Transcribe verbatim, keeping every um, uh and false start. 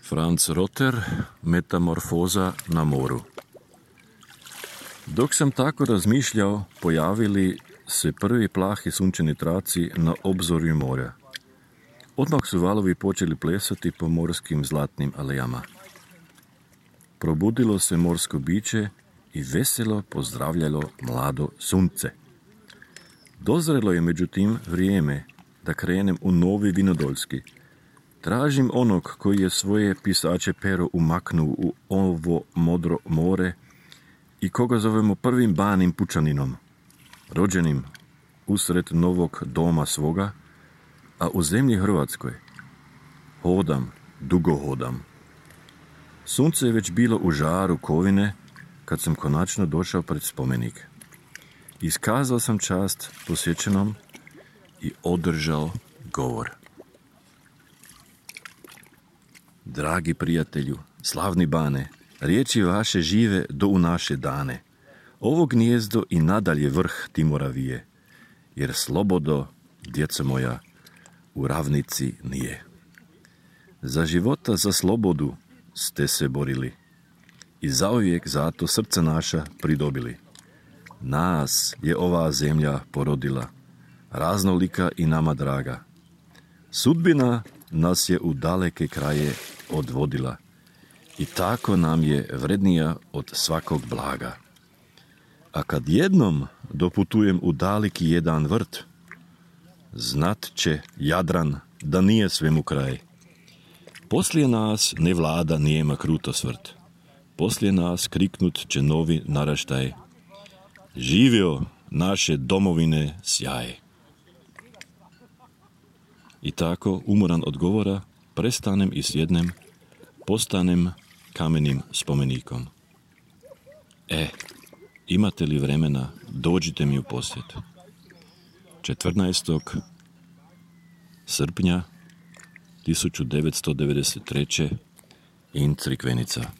Franz Rotter, Metamorfoza na moru. Dok sam tako razmišljao, pojavili se prvi plahi sunčani traci na obzorju morja. Odmah su valovi počeli plesati po morskim zlatnim alejama. Probudilo se morsko biće i veselo pozdravljalo mlado sunce. Dozrelo je međutim vrijeme da krenem u novi Vinodoljski. Tražim onog koji je svoje pisače pero umaknuo u ovo modro more i koga zovemo prvim banim pučaninom, rođenim usred novog doma svoga, a u zemlji Hrvatskoj hodam, dugo hodam. Sunce je već bilo u žaru kovine kad sam konačno došao pred spomenik. Iskazao sam čast posjećenom i održao govor. Dragi prijatelju, slavni bane, riječi vaše žive do u naše dane. Ovo gnijezdo i nadalje vrh Timora vije, jer slobodo, djeco moja, u ravnici nije. Za života, za slobodu ste se borili i zauvijek zato srca naša pridobili. Nas je ova zemlja porodila, raznolika i nama draga. Sudbina nas je u daleke kraje odvodila i tako nam je vrednija od svakog blaga. A kad jednom doputujem u daleki jedan vrt, znat će Jadran da nije svemu kraj. Poslije nas ne vlada nijema krutosvrt, poslije nas kriknut će novi naraštaj. Živio naše domovine sjaj. I tako, umoran od govora, prestanem i sjednem, postanem kamenim spomenikom. E, imate li vremena, dođite mi u posjet. četrnaestog srpnja tisuću devetsto devedeset treće in Crikvenica.